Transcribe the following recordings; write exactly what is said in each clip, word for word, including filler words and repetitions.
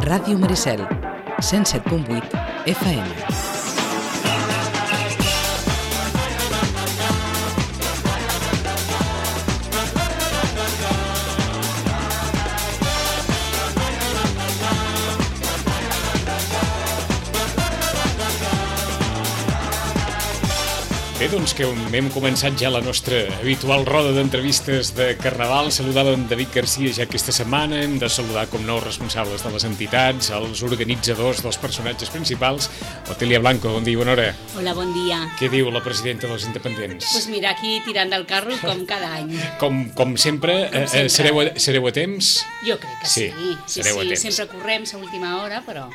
Ràdio Maricel, cent set punt vuit F M. Bé, doncs que hem començat ja la nostra habitual roda d'entrevistes de Carnaval. Saludàvem David Garcia ja aquesta setmana. Hem de saludar, com no, els responsables de les entitats, els organitzadors dels personatges principals. Otília Blanco, bon dia i bona hora. Hola, bon dia. Què diu la presidenta dels independents? Doncs pues mira, aquí tirant del carro com cada any. Com, com sempre, com sempre. Eh, sereu, a, sereu a temps? Jo crec que sí. Sí, sí, sereu sí. a temps. Sempre correm a última hora, però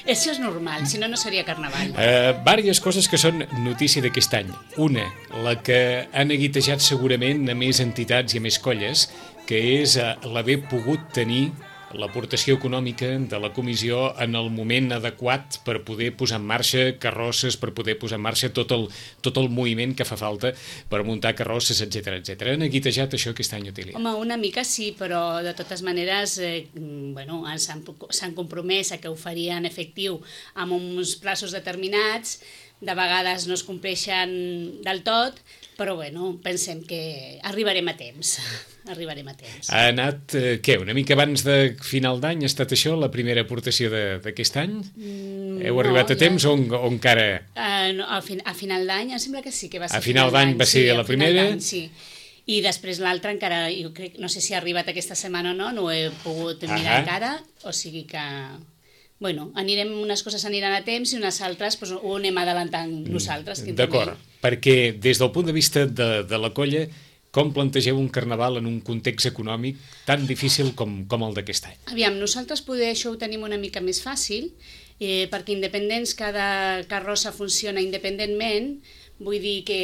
això és normal, si no, no seria Carnaval. Eh, vàries coses que són notícia d'aquest any. Una, la que han neguitejat segurament a més entitats i a més colles, que és eh, l'haver pogut tenir l'aportació econòmica de la comissió en el moment adequat per poder posar en marxa carrosses, per poder posar en marxa tot el, tot el moviment que fa falta per muntar carrosses, etcètera, etcètera. Han neguitejat això aquest any, Otília? Home, una mica sí, però de totes maneres eh, bueno, s'han s'han compromès a que ho farien efectiu amb uns plaços determinats. De vegades no es compleixen del tot, però bueno, pensem que arribarem a temps. Arribarem a temps. Ha anat, eh, què, una mica abans de final d'any? Ha estat això la primera aportació d'aquest any? Mm, Heu arribat no, a temps ja... o, o encara...? Uh, no, a, fin a final d'any, em sembla que sí que va ser a final d'any. Va ser sí, la primera? Sí. I després l'altra encara, jo crec, no sé si ha arribat aquesta setmana o no, no ho he pogut mirar encara, o sigui que... Bueno, anirem, unes coses aniran a temps i unes altres doncs, ho anem adelantant nosaltres. D'acord, perquè des del punt de vista de, de la colla, com plantegeu un carnaval en un context econòmic tan difícil com, com el d'aquest any? Aviam, nosaltres poder això ho tenim una mica més fàcil, eh, perquè independents, cada carrossa funciona independentment, vull dir que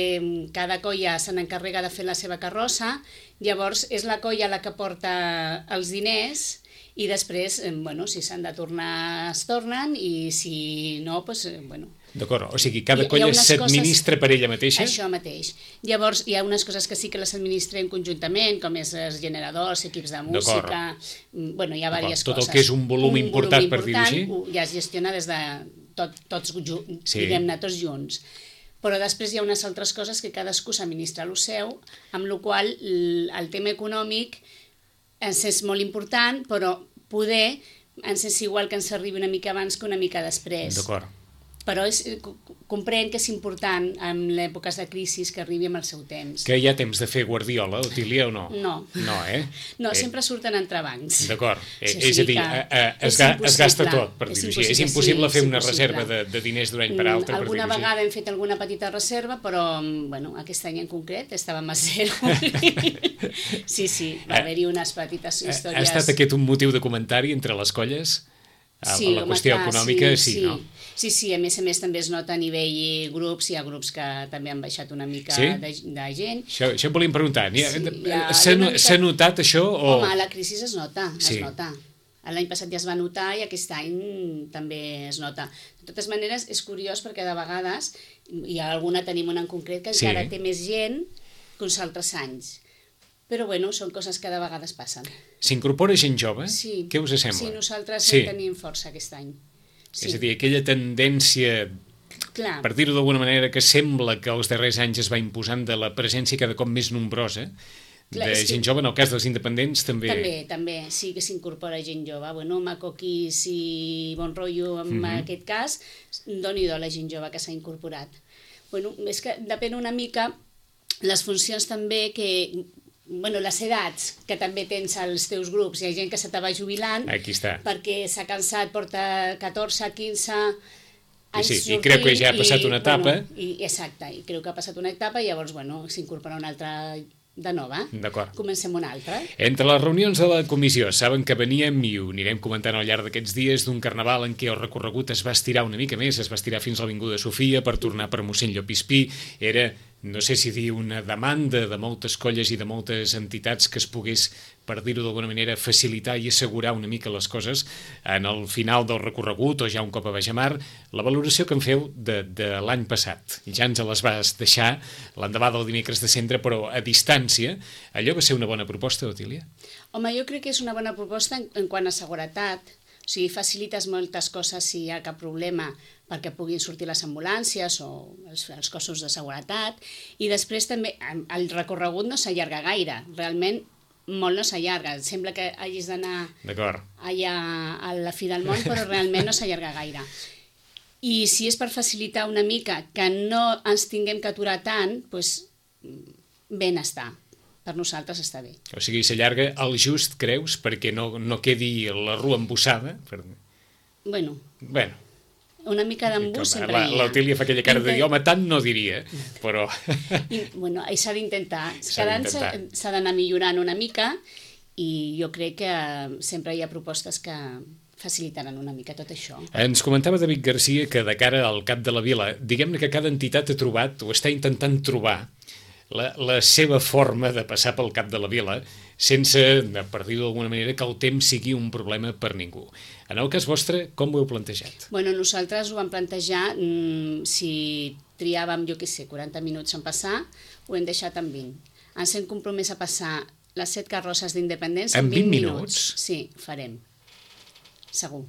cada colla se n'encarrega de fer la seva carrossa, llavors és la colla la que porta els diners i després, bueno, si s'han de tornar, es tornen, i si no, doncs, bueno... D'acord, o sigui, cada colla s'administra per ella mateixa? Això mateix. Llavors, hi ha unes coses que sí que les administrem conjuntament, com és els generadors, equips de música... Bueno, hi ha diverses coses. Tot el que és un volum un important, volum important, per dir-ho així? Ja es gestiona des de tot, tots, sí. diguem-ne, tots junts. Però després hi ha unes altres coses que cadascú s'administra el seu, amb la qual el tema econòmic ens és molt important, però poder ens és igual que ens arribi una mica abans que una mica després. D'acord. Però és, comprenc que és important en èpoques de crisi que arribi amb el seu temps. Que hi ha temps de fer guardiola, Otília, o no? No. No, eh? No, eh. sempre surten entrebancs. D'acord. Sí, és a dir, es, ga, es gasta tot, per dir-ho així. És impossible sí, fer una reserva de, de diners d'un any per altre. Alguna per vegada hem fet alguna petita reserva, però bueno, aquest any en concret estàvem a zero. Sí, sí, va haver-hi unes petites històries. Ha estat aquest un motiu de comentari entre les colles? Sí, la qüestió clar, econòmica, sí, sí, sí, no? Sí, sí, a més a més també es nota a nivell grups, hi ha grups que també han baixat una mica sí? de, de gent. Això, això em volíem preguntar, sí, s'ha mica... notat això? O... Home, la crisi es nota, sí. es nota. L'any passat ja es va notar i aquest any també es nota. De totes maneres, és curiós perquè de vegades, hi ha alguna, tenim una en concret, que encara sí. té més gent que uns altres anys. Però bueno, són coses que de vegades passen. S'incorpora gent jove? Sí. Què us sembla? Sí, nosaltres sí. tenim força aquest any. Sí. És a dir, aquella tendència, clar, per dir-ho d'alguna manera, que sembla que els darrers anys es va imposant de la presència cada cop més nombrosa, clar, de gent que... jove, en el cas dels independents també... També, també, sí que s'incorpora gent jove. Bueno, Macoquis i Bon Rotllo, en mm-hmm. aquest cas, doni-do la gent jove que s'ha incorporat. Bueno, és que depèn una mica les funcions també que... Bueno, les edats que també tens als teus grups, hi ha gent que se te va jubilant. Aquí està. Perquè s'ha cansat, porta catorze, quinze anys sí, sortint. I creu que ja ha passat una etapa. Bueno, i, exacte, i creu que ha passat una etapa i llavors, bueno, s'incorpora una altra de nova. D'acord. Comencem una altra. Entre les reunions de la comissió, saben que veníem, i ho anirem comentant al llarg d'aquests dies, d'un carnaval en què el recorregut es va estirar una mica més, es va estirar fins a l'Avinguda Sofia per tornar per mossèn Llopispí. Era... no sé si dir una demanda de moltes colles i de moltes entitats que es pogués, per dir-ho d'alguna manera, facilitar i assegurar una mica les coses en el final del recorregut o ja un cop a Bajamar. La valoració que en feu de, de l'any passat, ja ens les vas deixar l'endemà del dimecres de Cendra, però a distància, allò va ser una bona proposta, Otília? Home, jo crec que és una bona proposta en, en quant a seguretat, O sigui, facilites moltes coses si hi ha cap problema perquè puguin sortir les ambulàncies o els, els cossos de seguretat. I després també el recorregut no s'allarga gaire. Realment molt no s'allarga. Sembla que hagis d'anar allà a la fi del món, però realment no s'allarga gaire. I si és per facilitar una mica que no ens tinguem que aturar tant, doncs ben està. Per nosaltres està bé. O sigui, s'allarga el just, creus, perquè no, no quedi la rua embussada? Per... Bueno, bueno, una mica d'embús sempre hi ha. L'Otília fa aquella cara de dir, home, tant no diria, però... I, bueno, s'ha d'intentar. Cada any s'ha d'anar millorant una mica i jo crec que sempre hi ha propostes que facilitaran una mica tot això. Ens comentava David Garcia que de cara al Cap de la Vila, diguem-ne que cada entitat ha trobat o està intentant trobar La, la seva forma de passar pel Cap de la Vila sense, per dir-ho d'alguna manera, que el temps sigui un problema per ningú. En el cas vostre, com ho heu plantejat? Bueno, nosaltres ho vam plantejar, mmm, si triàvem, jo què sé, quaranta minuts en passar, ho hem deixat en vint. Ens hem compromès a passar les set carrosses d'independència en vint minuts. Sí, farem. Segur.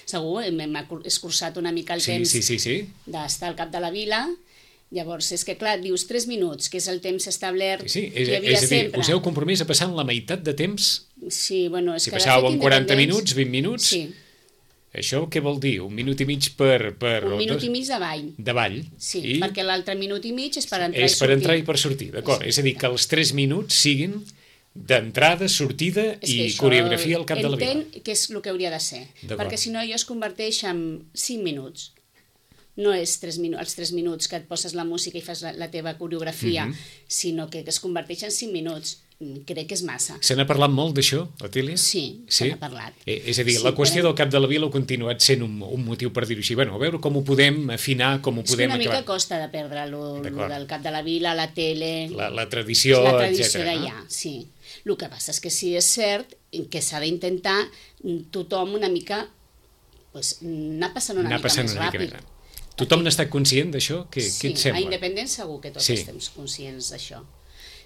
Segur, hem, hem escurçat una mica el sí, temps sí, sí, sí. d'estar al Cap de la Vila. Llavors, és que clar, dius tres minuts, que és el temps establert sí, sí. És, que hi havia és a dir, sempre. Us heu compromès a passar en la meitat de temps? Sí, bueno, és si que... Si passàveu en quaranta minuts, vint minuts? Sí. Això què vol dir? Un minut i mig per... per un minut i mig davall. Davall? Sí, I... perquè l'altre minut i mig és per entrar és i sortir. per entrar i per sortir, d'acord. Sí. És a dir, que els tres minuts siguin d'entrada, sortida i coreografia al Cap de la Vila. Entenc que és el que hauria de ser, perquè si no allò es converteix en cinc minuts. No és tres minu- els tres minuts que et poses la música i fas la, la teva coreografia, mm-hmm. sinó que es converteix en cinc minuts. Crec que és massa. Se n'ha parlat molt d'això, Otília? Sí, sí? se n'ha parlat. Eh, és a dir, sí, la qüestió però... del Cap de la Vila ha continuat sent un, un motiu per dir-ho així. Bueno, a veure com ho podem afinar, com ho és podem acabar. És una acabar. mica costa de perdre lo, lo del Cap de la Vila, la tele... La, la tradició, la tradició etcètera. d'allà, no? Sí. El que passa és que sí és cert que s'ha d'intentar tothom una mica pues, anar passant una anar mica passant més una ràpid. Mica més. Tothom n'ha estat conscient d'això? Què, sí, què et sembla? a Independents segur que tots sí. estem conscients d'això.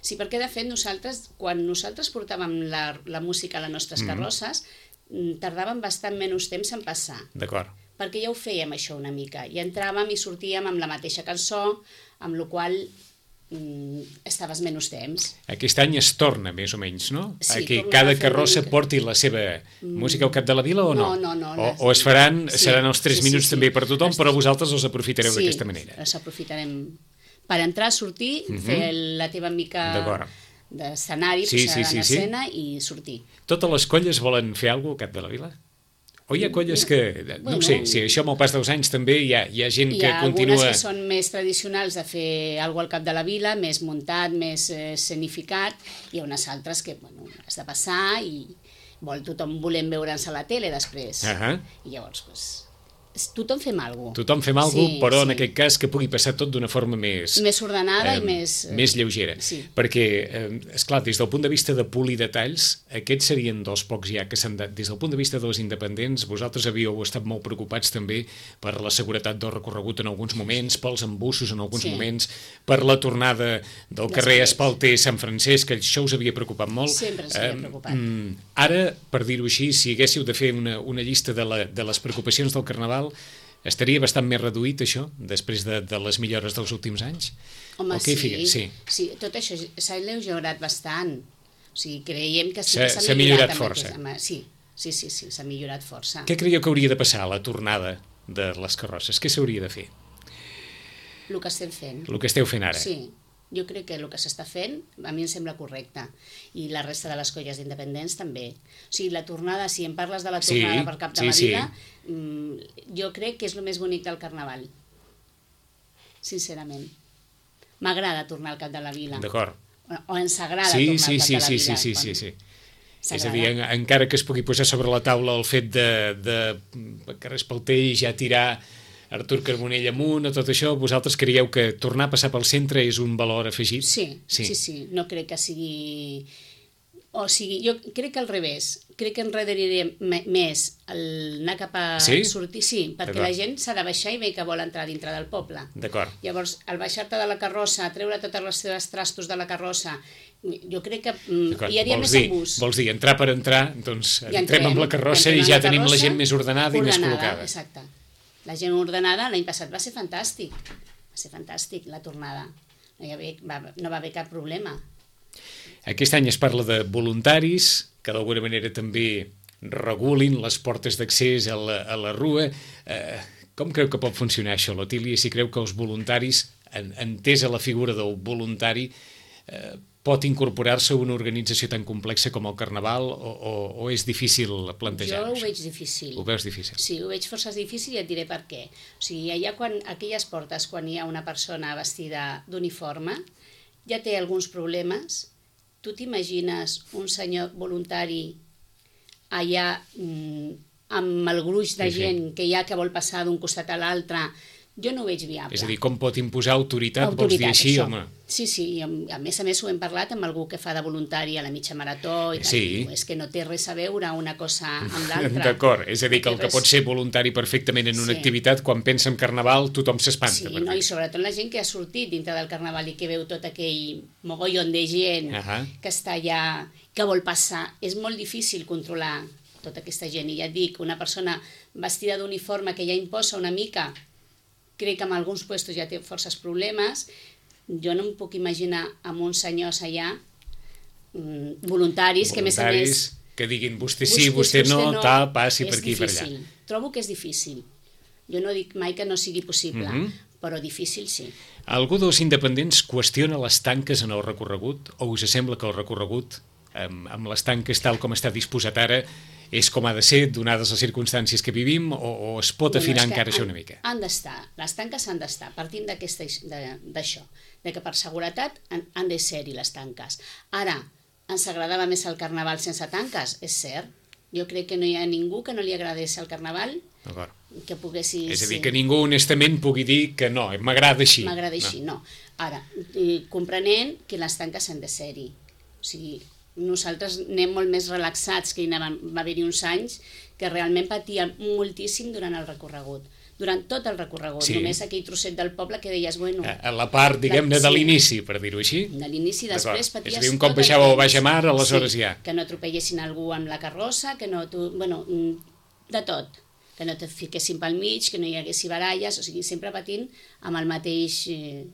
Sí, perquè de fet nosaltres, quan nosaltres portàvem la, la música a les nostres carrosses, mm. tardàvem bastant menys temps en passar. D'acord. Perquè ja ho fèiem això una mica, i entràvem i sortíem amb la mateixa cançó, amb la qual mm, estaves menys temps. Aquest any es torna, més o menys, no? Sí, que cada carrossa mica... porti la seva música al Cap de la Vila o no? No, no, no. O, les... o es faran, sí, seran els tres sí, minuts sí, també sí. per tothom, els... però vosaltres els aprofitareu sí, d'aquesta manera. Sí, els aprofitarem per entrar, sortir, uh-huh. fer la teva mica d'escenari, sí, posar sí, en sí, escena sí. i sortir. Totes les colles volen fer alguna cosa al Cap de la Vila? O hi ha colles que... No bueno, ho sé, sí, això amb el pas dels anys també hi ha, hi ha gent hi que ha continua... Hi ha algunes que són més tradicionals de fer alguna cosa al Cap de la Vila, més muntat, més eh, escenificat, i hi ha unes altres que, bueno, has de passar i vol tothom volem veure'ns a la tele després. Uh-huh. I llavors, doncs, tothom fem alguna cosa. Tothom fem alguna cosa, sí, però sí. en aquest cas que pugui passar tot d'una forma més... Més ordenada eh, i més... Més lleugera. Sí. Perquè, eh, esclar, des del punt de vista de polir detalls, aquests serien dels pocs ja que s'han de... Des del punt de vista dels independents, vosaltres havíeu estat molt preocupats també per la seguretat del recorregut en alguns moments, pels embussos en alguns sí. moments, per la tornada del Després. carrer Espalter Sant Francesc, que això us havia preocupat molt. Sempre ens havia preocupat. Eh, ara, per dir-ho així, si haguéssiu de fer una, una llista de, la, de les preocupacions del Carnaval, estaria bastant més reduït, això, després de, de les millores dels últims anys? Home, sí. sí. sí. Tot això s'ha alleugerat bastant. O sigui, creiem que sí que s'ha millorat, millorat força. Aquest, sí, sí, sí, sí s'ha millorat força. Què creieu que hauria de passar a la tornada de les carrosses? Què s'hauria de fer? El que estem fent. El que esteu fent ara? Sí. Jo crec que el que s'està fent a mi em sembla correcte, i la resta de les colles d'independents també. O sigui, la tornada, si em parles de la tornada sí, per Cap de sí, la Vila, sí. jo crec que és el més bonic del Carnaval, sincerament. M'agrada tornar al Cap de la Vila. D'acord. O, o ens agrada sí, tornar sí, al Cap sí, de la sí, Vila. sí, sí, sí, sí. És a dir, en, encara que es pugui posar sobre la taula el fet de, de carrer Espalter i ja tirar Artur Carbonell amunt o tot això, vosaltres creieu que tornar a passar pel centre és un valor afegit? Sí, sí, sí, sí. No crec que sigui... O sigui, jo crec que al revés. Crec que enredaria més el anar cap a sí? sortir. Sí, perquè la gent s'ha de baixar i ve que vol entrar dintre del poble. D'acord. Llavors, al baixar-te de la carrossa, treure totes les teves trastos de la carrossa, jo crec que mm, hi hauria més embús. Vols dir, entrar per entrar, doncs Ja entrem amb la carrossa i ja tenim la gent més ordenada i més col·locada. Exacte. La gent ordenada l'any passat va ser fantàstic. Va ser fantàstic la tornada. No, hi havia, va, no va haver cap problema. Aquest any es parla de voluntaris, que d'alguna manera també regulin les portes d'accés a, la, a la rua. Eh, com creu que pot funcionar això, l'Otília? Si creu que els voluntaris, en, entesa la figura del voluntari, eh, pot incorporar-se a una organització tan complexa com el Carnaval o, o, o és difícil plantejar? Jo ho veig difícil. Ho veus difícil? Sí, ho veig força difícil i et diré per què. O sigui, allà quan, aquelles portes, quan hi ha una persona vestida d'uniforme, ja té alguns problemes. Tu t'imagines un senyor voluntari allà mmm, amb el gruix de sí, gent sí. que hi ha que vol passar d'un costat a l'altre? Jo no ho veig viable. És a dir, com pot imposar autoritat, autoritat vols dir així? això. Home? Sí, sí, i a més a més ho hem parlat amb algú que fa de voluntari a la mitja marató i tal. Sí. És que no té res a veure una cosa amb l'altra. D'acord, és a dir, que el que pot ser voluntari perfectament en una sí. activitat, quan pensa en Carnaval, tothom s'espanta. Sí, no? I sobretot la gent que ha sortit dintre del Carnaval i que veu tot aquell mogollon de gent uh -huh. que està allà, que vol passar. És molt difícil controlar tota aquesta gent. I ja et dic, una persona vestida d'uniforme que ja imposa una mica, crec que en alguns puestos ja té forces problemes. Jo no em puc imaginar amb uns senyors allà mm, voluntaris, voluntaris que a més a més que diguin vostè sí, vostè, vostè no, no, tal, passi per aquí i per allà. Trobo que és difícil. Jo no dic mai que no sigui possible, mm -hmm. però difícil sí. Algú dels independents qüestiona les tanques en el recorregut o us sembla que el recorregut amb, amb les tanques tal com està disposat ara és com ha de ser, donades les circumstàncies que vivim, o, o es pot afinar bueno, encara han, això una mica? Han d'estar, les tanques han d'estar, partint d'això, de, de que per seguretat han, han de ser-hi les tanques. Ara, ens agradava més el Carnaval sense tanques? És cert. Jo crec que no hi ha ningú que no li agradés el Carnaval, que poguessis... És a dir, que ningú honestament pugui dir que no, m'agrada així. M'agrada així, no. no. Ara, comprenent que les tanques han de ser-hi. O sigui, nosaltres anem molt més relaxats, que anàvem, va haver-hi uns anys que realment patíem moltíssim durant el recorregut, durant tot el recorregut, sí. Només aquell trosset del poble que deies, bueno... A la part, diguem-ne, de l'inici, per dir-ho així. De l'inici, després paties... És a dir, un cop baixava o baix a mar, aleshores sí, ja... Que no atropellessin algú amb la carrossa, que no... Tu, bueno, de tot. Que no te fiquessin pel mig, que no hi haguessi baralles, o sigui, sempre patint amb, el mateix,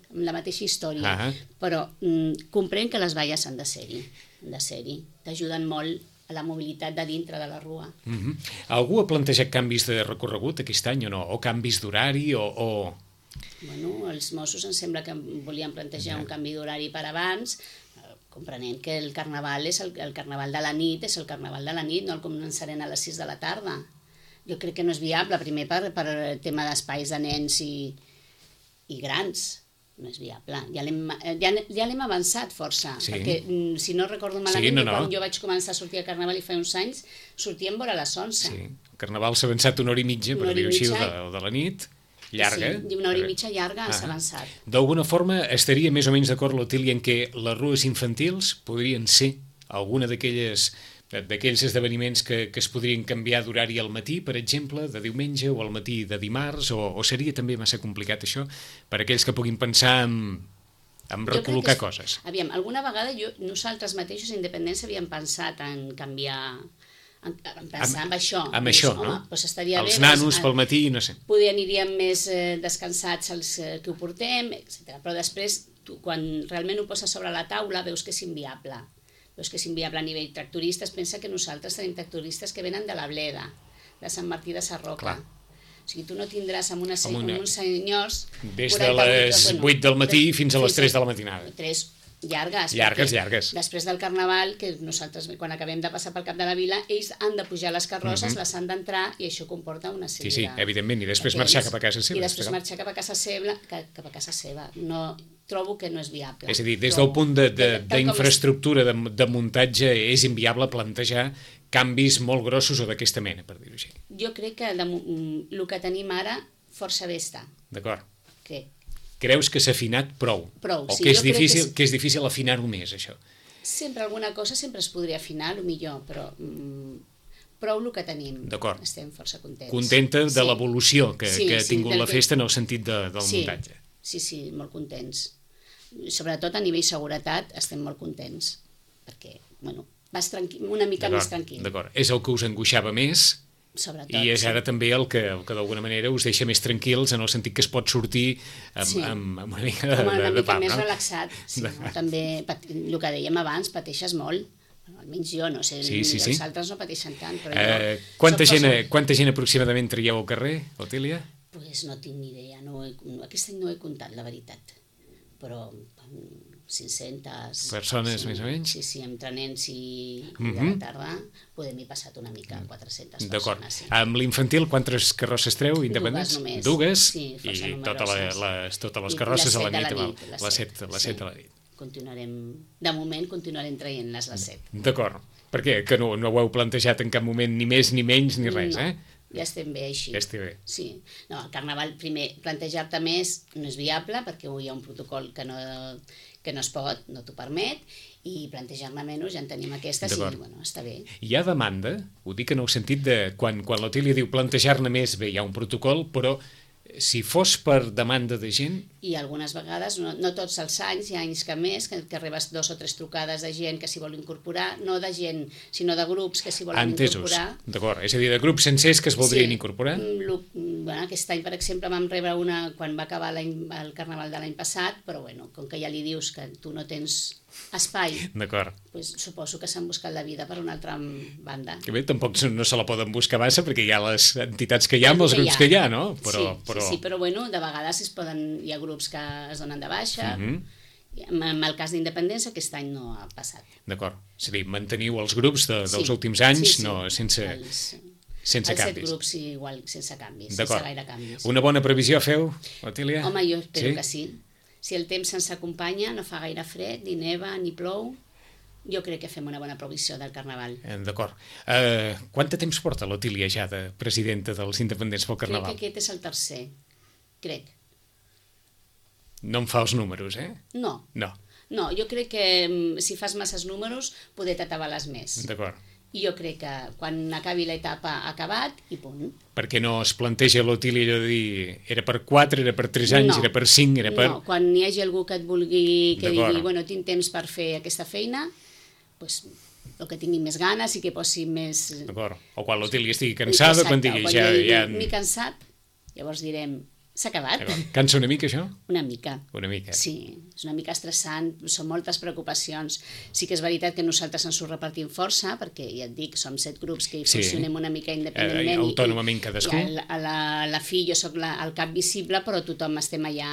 amb la mateixa història. Uh -huh. Però mm, comprenc que les valles han de ser-hi. de ser-hi, t'ajuden molt a la mobilitat de dintre de la rua. Uh -huh. Algú ha plantejat canvis de recorregut aquest any o no? O canvis d'horari o, o... Bueno, els Mossos em sembla que volien plantejar ja. un canvi d'horari per abans, comprenent que el Carnaval és el, el Carnaval de la nit, és el Carnaval de la nit, no el començarem a les sis de la tarda. Jo crec que no és viable, primer per, per el tema d'espais de nens i, i grans. No és viable. Ja l'hem ja, ja avançat força, sí. Perquè si no recordo malament, sí, no, no. Quan jo vaig començar a sortir al Carnaval i fa uns anys, sortíem vora les onze. Sí. El Carnaval s'ha avançat una hora i mitja, per dir-ho així, de, de la nit, llarga. Sí, una hora i mitja llarga ah. s'ha avançat. D'alguna forma estaria més o menys d'acord l'Otília en què les rues infantils podrien ser alguna d'aquelles d'aquells esdeveniments que, que es podrien canviar d'horari al matí, per exemple, de diumenge, o al matí de dimarts, o, o seria també massa complicat això per aquells que puguin pensar en, en recol·locar és, coses? Aviam, alguna vegada jo, nosaltres mateixos independents havíem pensat en canviar, en, en pensar amb, en això. Amb doncs, això, home, no? Doncs estaria els bé, nanos doncs, pel matí, no sé. Poder aniríem més eh, descansats els eh, que ho portem, etcètera. Però després, tu, quan realment ho poses sobre la taula, veus que és inviable. Veus que és inviable a nivell tractoristes. Pensa que nosaltres tenim tractoristes que venen de la Bleda, de Sant Martí de Sarroca. Clar. O sigui, tu no tindràs amb, una, amb, una, amb uns senyors... Des de les bueno, vuit del matí des, fins a les tres de la matinada. Tres llargues. Llargues, llargues. Després del Carnaval, que nosaltres, quan acabem de passar pel cap de la vila, ells han de pujar les carrosses, uh -huh. les han d'entrar, i això comporta una sèrie de... Sí, sí, evidentment, i després marxar cap a casa seva. I després marxar cap a casa seva, cap a casa seva. No... trobo que no és viable. És a dir, des del punt d'infraestructura, de, de, de muntatge, és inviable plantejar canvis molt grossos o d'aquesta mena, per dir-ho així. Jo crec que de, el que tenim ara força bé està. D'acord. Què? Creus que s'ha afinat prou? Prou, o sí. que és difícil, que és... que és difícil afinar-ho més, això? Sempre alguna cosa sempre es podria afinar, el millor, però... Mm, prou el que tenim. D'acord. Estem força contents. Contenta de sí. l'evolució que, sí, que ha sí, tingut la que... festa en el sentit de, del sí, muntatge. Sí, sí, molt contents. sobretot a nivell seguretat estem molt contents, perquè, bueno, vas tranquil, una mica més tranquil. D'acord, és el que us angoixava més, sobretot, i és ara sí. també el que, el que d'alguna manera us deixa més tranquils en el sentit que es pot sortir amb, sí. amb, amb una mica de, com una de, de mica pam, més no? relaxat. Sí, no? També, el que dèiem abans, pateixes molt. Almenys jo, no sé, sí, sí, sí. els altres no pateixen tant. Però eh, jo quanta, gent, cosa... quanta gent aproximadament traieu al carrer, Otília? Pues no tinc ni idea, no he, no, aquest any no he comptat, la veritat. Però cinc-centes... Persones, sí, més o menys? Sí, sí, entre nens i, mm-hmm. i de la tarda podem hi passat una mica, quatre-centes persones. Sí. Amb l'infantil, quantes carrosses treu, independents? Dues només. Dues? Sí, i tota la, les, totes les carrosses a la nit. Les set, les set a la nit. Continuarem, de moment continuarem traient-les les set. D'acord. Per què? Que no, no ho heu plantejat en cap moment ni més ni menys ni res, no. eh? Ja estem bé així. Ja estem bé. Sí. No, el carnaval, primer, plantejar-te més no és viable perquè hi ha un protocol que no, que no es pot, no t'ho permet, i plantejar-ne menys, ja en tenim aquestes i, bueno, està bé. Hi ha demanda, ho dic en el sentit de quan, quan l'Otília diu plantejar-ne més, bé, hi ha un protocol, però si fos per demanda de gent... I algunes vegades, no, no tots els anys, hi ha anys que més, que, que rebes dos o tres trucades de gent que s'hi vol incorporar, no de gent, sinó de grups que s'hi volen Entesos. incorporar. D'acord, és a dir, de grups sencers que es voldrien sí. incorporar? Lo, bueno, aquest any, per exemple, vam rebre una quan va acabar el carnaval de l'any passat, però bueno, com que ja li dius que tu no tens espai, pues, suposo que s'han buscat la vida per una altra banda. Que bé, tampoc no se la poden buscar massa perquè hi ha les entitats que hi ha, amb els grups que hi ha, no? Però, sí, però... Sí, sí, però bueno, de vegades es poden, hi ha grups que es donen de baixa, uh-huh. en el cas d'independència aquest any no ha passat. D'acord, és a dir, manteniu els grups de, dels sí. últims anys, sí, sí. no, sense... Els... Sense els canvis. Els set grups igual, sense canvis, sense gaire canvis. Una bona previsió feu, Otília? Home, jo espero sí? que sí. Si el temps ens acompanya, no fa gaire fred, ni neva, ni plou, jo crec que fem una bona previsió del carnaval. D'acord. Uh, quant de temps porta l'Otília ja de presidenta dels independents pel carnaval? Crec que aquest és el tercer, crec. No em fa els números, eh? No. No. No, jo crec que si fas masses números, poder t'atabales més. D'acord. I jo crec que quan acabi l'etapa ha acabat i punt. Perquè no es planteja l'Otília allò de dir era per quatre, era per tres anys, no, era per cinc, era per... No, quan hi hagi algú que et vulgui, que digui, bueno, tinc temps per fer aquesta feina, doncs el que tingui més ganes i que posi més... D'acord, o quan l'Otília estigui cansada, quan digui quan ja... ja... M'he cansat, llavors direm... S'ha acabat. Cansa una mica, això? Una mica. Una mica. Sí, és una mica estressant, són moltes preocupacions. Sí que és veritat que nosaltres ens ho repartim força, perquè ja et dic, som set grups que hi sí. funcionem una mica independentment. Eh, autònomament cadascú. I a la, la fi, jo sóc la, el cap visible, però tothom estem allà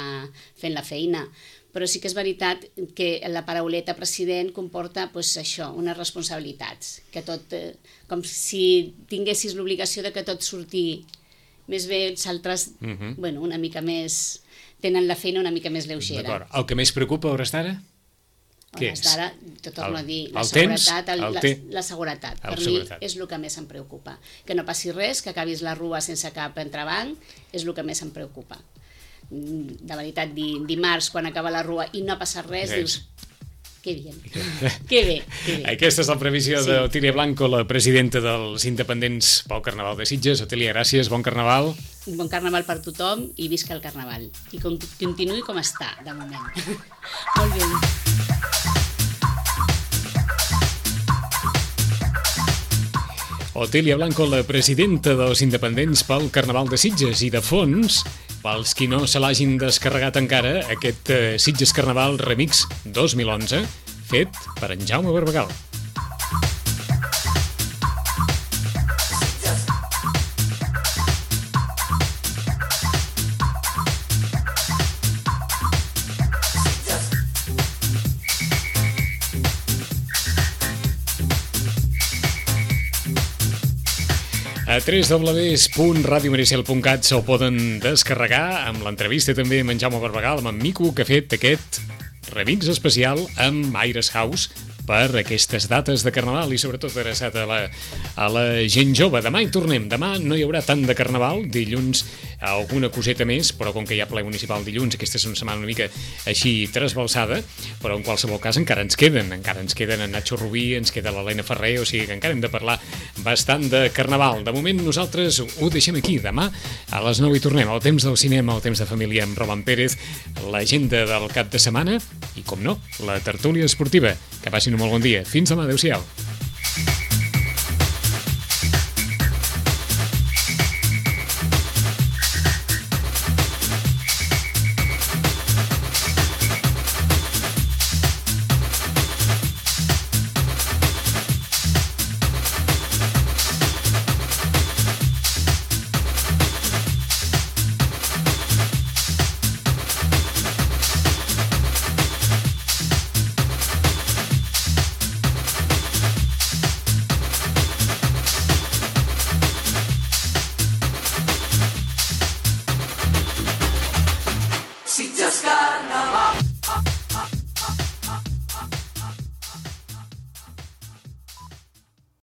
fent la feina. Però sí que és veritat que la parauleta president comporta pues, això, unes responsabilitats, que tot, eh, com si tinguessis l'obligació de que tot surti més bé, els altres, uh-huh. bueno, una mica més... tenen la feina una mica més lleugera. D'acord. El que més preocupa a hores d'ara? Què és? A hores d'ara, t'ho torno el, a dir, la el seguretat. Temps, el la, te... la seguretat. El per seguretat. mi és el que més em preocupa. Que no passi res, que acabis la rua sense cap entrebanc, és el que més em preocupa. De veritat, di, dimarts, quan acaba la rua i no ha passat res, sí. dius... Que bien. que bé, que bé. Aquesta és la previsió sí. d'Otília Blanco, la presidenta dels independents pel Carnaval de Sitges. Otília, gràcies, bon carnaval. Bon carnaval per tothom i visca el carnaval. I com, continuï com està, de moment. Molt bé. Otília Blanco, la presidenta dels independents pel Carnaval de Sitges. I de fons, pels qui no se l'hagin descarregat encara, aquest uh, Sitges Carnaval Remix dos mil onze, fet per en Jaume Barbagal. A w w w punt radio maricel punt cat se'l poden descarregar amb l'entrevista també amb en Jaume Barbagal, amb en Mico, que ha fet aquest remix especial amb Aires House per aquestes dates de Carnaval i sobretot adreçat a la, a la gent jove. Demà hi tornem. Demà no hi haurà tant de Carnaval, dilluns alguna coseta més, però com que hi ha ple municipal dilluns, aquesta és una setmana una mica així trasbalsada, però en qualsevol cas encara ens queden, encara ens queden en Nacho Rubí, ens queda l'Helena Ferrer, o sigui que encara hem de parlar bastant de Carnaval. De moment nosaltres ho deixem aquí. Demà a les nou hi tornem. El temps del cinema, el temps de família amb Roman Pérez, l'agenda del cap de setmana i, com no, la tertúlia esportiva. Que passin un molt bon dia. Fins demà. Adéu-siau.